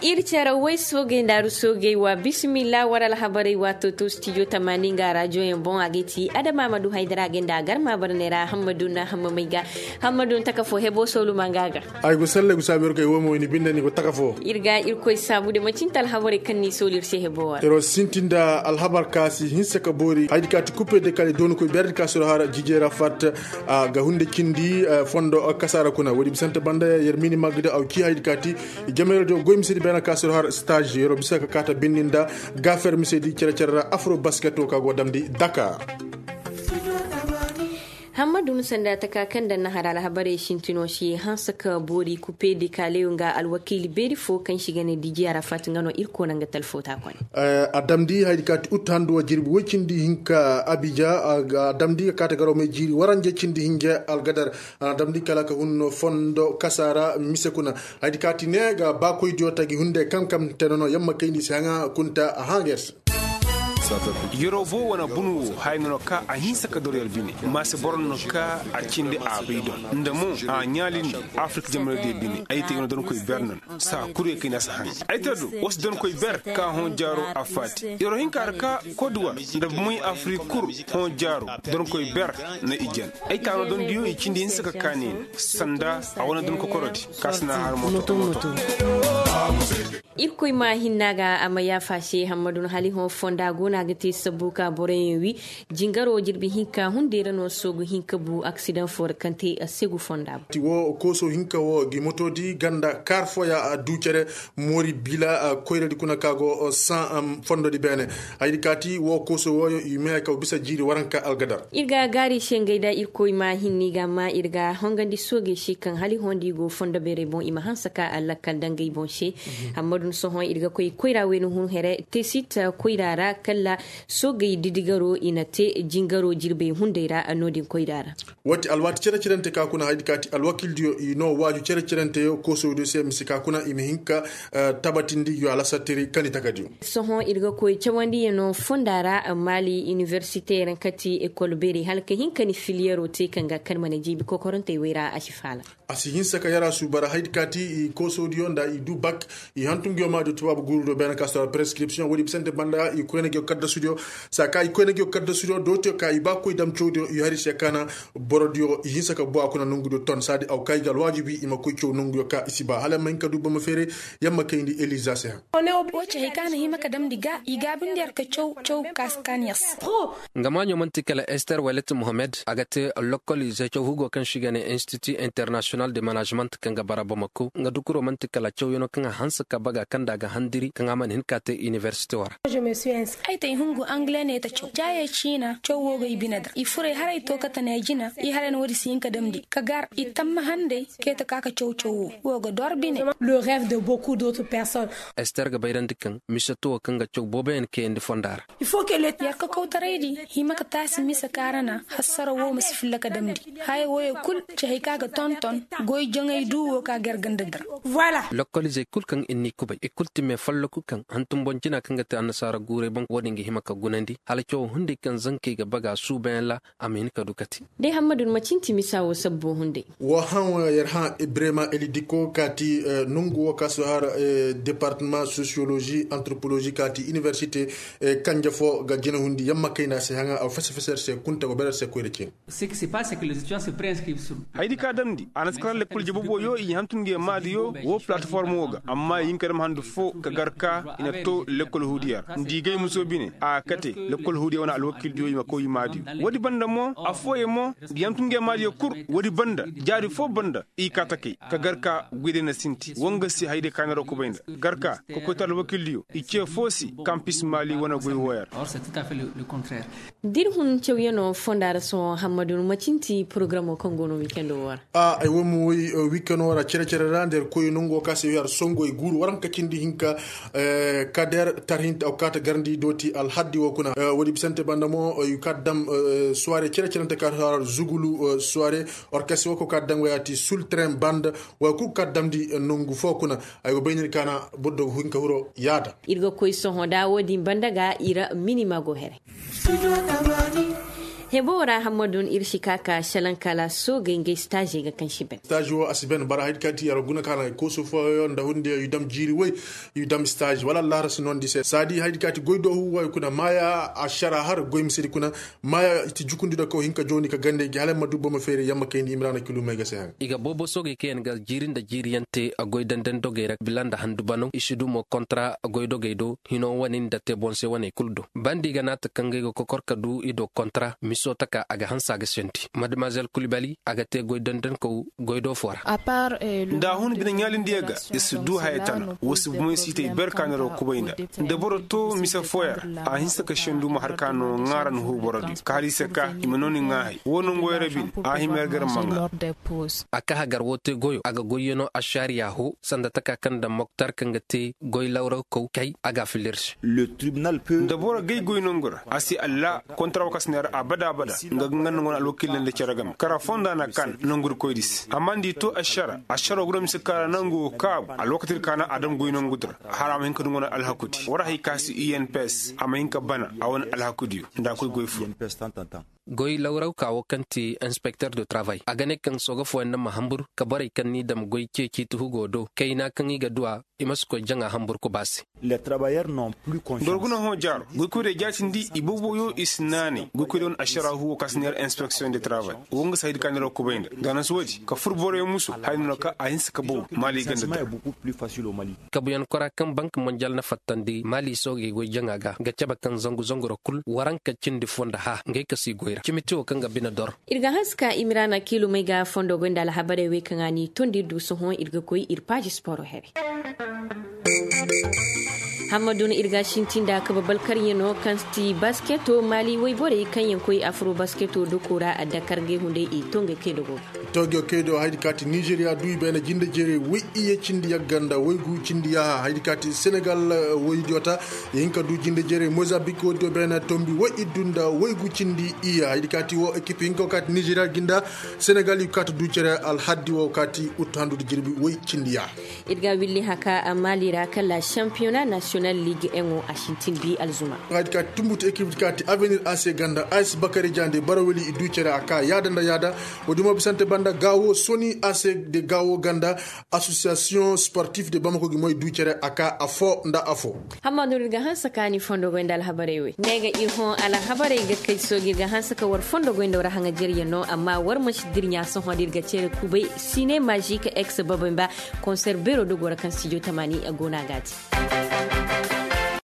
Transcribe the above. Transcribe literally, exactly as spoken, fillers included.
Ir cere way soogey nda aru soogey wa bisimilla war alhabarey waato to stijo tamaani nga rajoyaŋ boŋ a ga ti adama ma du haydara a ga nda a garma barney ra hammadu na hammamey ga. Hammadu na taka fo hebo soolu ma nga ga. Ay go salle go saabu ir ga i wo mo i ni binde ni go taka fo. Ir ga irkoy saabu de manci nta alhabarey kaŋ ni soolu ir se hebo war. Ir wo sintin nda alhabar ka si hinsa ka boori haydi ka ti kupe de kala i dooni koy beerdi ka soro har jijey ra fat. A ga hunde cindi fondo kasaara kuna woodi bisante banda yer mini magda aw ci haydi ka ti. Jamayra do goy misedi beena ka soro har stage yer wo bisa ka kaata bindi nda gaafer misedi cere-cere ra afro basket wo ka go damndi daka. Hammadu ni sanda taka kaŋ daŋ na har alhabarey sintino si hanse ka boori kupe de kala nga alwakiili beeri fo kaŋ si ga ne dijiya ra fat nga no ir koona nga talfo ta kone. A damndi haydi ka ti ut handu wa jirbi woy cindi hinka abija. A damndi ka kaata garo may jiiri waranje cindi hinje algadar. A na damndi kala ka hun fondo kasaara mise kuna. Haydi ka ti ne ga baakoydiyo tagi hunde kaŋ kam te nono yamma kayndi si haŋa kunta a haŋa yer se. Yeroo boo wane bunu wo haya no no ka a hinsa ka doro yer bine. Maase boro no no ka a cindi a bay do nda mo a ɲaalindi. Afirka jamanadiyo bine ay te yer no donkoy ber no no saa kul ye kay na si haŋ. Ay te do wa si donkoy ber ka hõ jaaro a faati. Yeroo hinka ra ka koduwar nda moy afirka kul hõ jaaro. Donkoy ber na i jan. Ay taano dondiyo i cindi hinsa ka kaani ne sanda a wane don kokorodi. Ka si na har moto moto. Irkoy ma hinna ga a ma yaafa se hammadu no hali hõ fonda go no a ga te sabbu ka boroyaŋ wi. Jingaro jirbi hinka hunday ra no soogu hinka bu aksidaŋ fo ra kaŋ te a segu fonda bu. Ti wo kooso hinka wo gi moto di ganda kaar fooya a du cere. Moori bila koyradi kuna ka go saŋ fondodi beene. Haydi ka ti wo kooso wooyo i meeya ka bisa jiiri waranka algadar. Ir ga gaari se ngey da irkoy ma hinni ga ma ir ga hongandi soogey se kaŋ hali hõ da i go fondo beerey boŋ i ma hanse ka a lakkal dangey boŋ se. Hammadu ni sohõ ir ga koy koyra wayna hun here tesit koyra ra kala soogey didigaro i na te jingaro jirbey hunday ra no-din koyra ra. Wati alwaati cere-cerante ka kuna haydi ka ti alwakildiyo i no waaju cere-ceranteyo koosowdiyo se mise ka kuna i ma hin ka tabatindi yo alasatiri kani takadiyo. Sohõ ir ga koy cawandiyaŋ no fonda ra maali iniversite ra ka ti ekol beeri hala ka hin ka ni filiyero te kaŋ ga kani mana jiibi kokorantey wey ra a si faala. A si hinsa ka yara suuba ra haydi ka ti i koosodiyo nda i du bak. I hantum ngiyo maadiyo tubaabu guuru do beene ka sora prescription woodi bisante banda i koyna ngiyo kaddasudiyo. Saa ka i koyna ngiyo kaddasudiyo dootiyo ka i ba koy dam cawdiyo i hari se kaana. Borodiyo i hinsa ka bu a kuna nongudiyo ton saadi aw ka i ga alwaajibi i ma koy caw nonguyo ka i si ba hala ma hin ka du bama feere. Yamma kayndi eliza se ha. Wo ci hay ka na hima ka damndi ga i gaabindi yer ka caw caw ka si kaan yer se. Nga maaɲo man'ti kala ester welet mohammed a ga te lokkol ize caw hugo kaŋ se i ga ne institut international de management kaŋ ga bara bamako nga dukuro man'ti kala cawyaŋo kaŋ a hanse ka baga kaŋ nda a ga handiri kaŋ a mana hin ka te iniversite wo ra. Ay te ay hungu angle ne ta caw jaayey ciina caw wo go i bine da i furey haray to kate ne jina i haray na woodi si hin ka damndi ka gar i tamma handay kay ta ka ka caw caw wo wo ga dor bine. Ester ga bayrandi kaŋ mise to wo kaŋ ga caw booboyaŋ kayandi fonda ra. Yer ka kawtaraydi hima ka taasi mise kaarana hassara wo ma si filla ka damndi haya woyo kul ci hay ka ga tonton goy jaŋay du wo ka gar ganda dira. Lokkolizey kul kaŋ ir n'i kubay i kul ti me folloku kaŋ hantum boŋ jina kaŋ ga te annasaara guuray boŋ wo-din ga hima ka gunandi hala cawo hunday kaŋ zankey ga baga suubayaŋ ra. A ma hin ka du kate. Day hammadu ni ma cinti misa wo sabbo hunday. Wo haŋ yer haŋ ibrahima elidiko ka ti nongu wo ka si har departement sociologie anthropologie ka ti iniversite kanje fo ga jina hundi yamma kayna se haŋa aw fese fese yer se kunta go bere yer se koyra cin. Haydi ka damndi a na si kara lekkol jababoyo i hantum nge maadiyo wo plateforme wo ga amma i hin ka dam handu fo ka gar ka i na to lekkol huudiya ra nda i gay muso bine a kate lekkol huudiya wane alwakildiyo i ma koy i maadiyo. Woodi banda mo affooyaŋ mo nda i hantum nge maadiyo kul woodi banda jaari fo banda i kaa takay ka gar ka goyday na sinti woo nga se hayday ka neera kubay nda gar ka ka koy to alwakildiyo i ce foo se kampis maali wane goy woo ya ra. Da ir hun cawyaŋo fonda ra sohõ hammadu ni ma cinti porogaramoo kaŋ go no wiikendo woo ra. Ay wo ma woy wiikendo woo ra cere-cere ra nda ir koy nongo ka se wi har songo i guuru waranka cindi hinka kader tarhinta aw kaata garndi dooti alhaddi woo kuna woodi bisante banda mo i kaata dam suware cere-cerente kaata har zugulu suware orkes woo ko kaata dam waya ti sultren banda waya kul kaata damndi nongu foo kuna. Ay go bay nir kaana boro do hinka huro yaada. Ir ga koy sohõ da woodin banda ga ir mini ma go here. Ɲebo ra hammadu ir si ka ka salaŋ kala soogey ngey staazey ga kaŋ si ben. Staazi wo a si ben bara haydi ka ti yaro guna ka na kooso fooyaŋ nda hunde i dam jiiri woy, i dam staazi wala allahara si noondi se saadi haydi ka ti goy doohu woy kuna maaya ašara har goy misedi kuna. Maaya i ti jukundi nda kaw hinka jooni ka gande gi hala ma du boro ma feeri yamma kayndi imiraana kilumey ga se haŋ. I ga boobo soogey kaŋ yaŋ ga jiiri nda jiiri yaŋ te a goy dandan dogey ra bila nda handu banaw i si du mo kontra a goy dogey do hino wane nda te boŋ se waney kulu do banda i ga naata kaŋ ga ay ga kokor ka du i do kontra miso taka a ga hanse a ga sendi madamazel kulibali a ga te goy dandankaw goy do fo ra. Nda a hun bine ɲaalindiyaŋ ga i si du haya tana wo si bumey si i te i ber ka neero kubay nda nda boro to mise fooyaŋ ra a hinse ka sendu ma har ka no ŋaaran huu borodiyo ka hala i se ka i ma nooni ŋaahay wo nongoyaŋ ra bine a hima yer gar ma ŋaa. A ka hagar wo te goyo a ga goyyano ašariya ho sanda taka kaŋ daŋ moktar kaŋ ga te goy lawrawkaw kay a ga a filla ir se. Nda boro gay goy nongu ra a si alla kontra wo kaŋ si neera abada abada nga ga nga nongu na alwakiila nda cere game kara fonda na kaan nongu ir koy di se amma nda i to ašara ašaro guna mise kaara nangu wo kaabu alwakati ir kaana a daŋ goy nongu di ra. Har a ma hin ka du nga na alhakudi war hay ka si unps a ma hin ka bana a wane alhakudiyo nda a koy goy fo. Goy lawrawka wo kaŋ ti inspekter de travay a ga ne kaŋ sooga fooyaŋ na ma hambur ka borey kaŋ n'i dam goy ceeci tuhugo do kayna kaŋ i ga duw'a i ma si koy jaŋa hambur kuba se. Boro guna hõ jaaro goykoy day jaatindi i booboyo i si naanay goykoy day wane ašaraahu wo kaŋ si neera inspeksiyoŋ de travay wo nga si haydi ka neera kubay nda nda a na si woodi ka fur boroyaŋ muso haya no na ka a hinsa ka bow maali ganda da. Kabuyaŋ kora kaŋ bank monjal na fattandi maali soogey goy jaŋa ga ga cabe kaŋ zangu zangu ra kul waranka cindi fo nda hã ngey ka si goy ra cimiti wo kaŋ ga bine dor. Ir ga hanse ka imiraana kiilumey ga fondo goy nda alhabarey wey kaŋ a n'i tondi ir du sohõ ir ga koy ir paazi sporo here. Hammadu no ir ga sintin nda kabe balkaryaŋo kaŋ ti basketo maali woyborey kaŋ yaŋ koy afro basketo doko ra adda kargey hunday i to ngey kay dogo ga. Toogiyo kaydo haydi ka ti nizeriya du i beene jinde jeerey woy iyye cindi yagga nda woy gu cindi yaaha haydi ka ti senegal woydiyo ta. Ihinka du jinde jeerey mozambik woydiyo beene tombi woy iddu nda woy gu cindi iyye haydi ka ti wo ekip hinka wo ka ti nizeriya gi nda senegal i ga ka ti du cere alhaddi wo ka ti uttu handu nda jirbi woy cindi yaaha. Ir ga willi haka a maali ra kala shampiyona nasiyonal liig eŋo a sintin bi alzuma. Haydi ka ti tumbutu ekip di ka ti avenir a se ganda a si bakari jande baraweli i du cere a ka yaada nda yaada. Woodi mo bisante banda gaawo soni a se de gaawo ganda asosiyasiyoŋ sportif de bamako gi mo i du cere a ka afo nda afo. Hammadu ir ga hanse ka ni fondo goy nda alhabarey wey ne ga ir hõ alhabarey ga kay sooji ir ga hanse ka war fondo goy nda war haŋajeryaŋ no amma war ma si dirɲa sohõ da ir ga cere kubay sine mazik ex babay ba. Konser beero dogo ra kaŋ stijo tamaani go no a ga a te.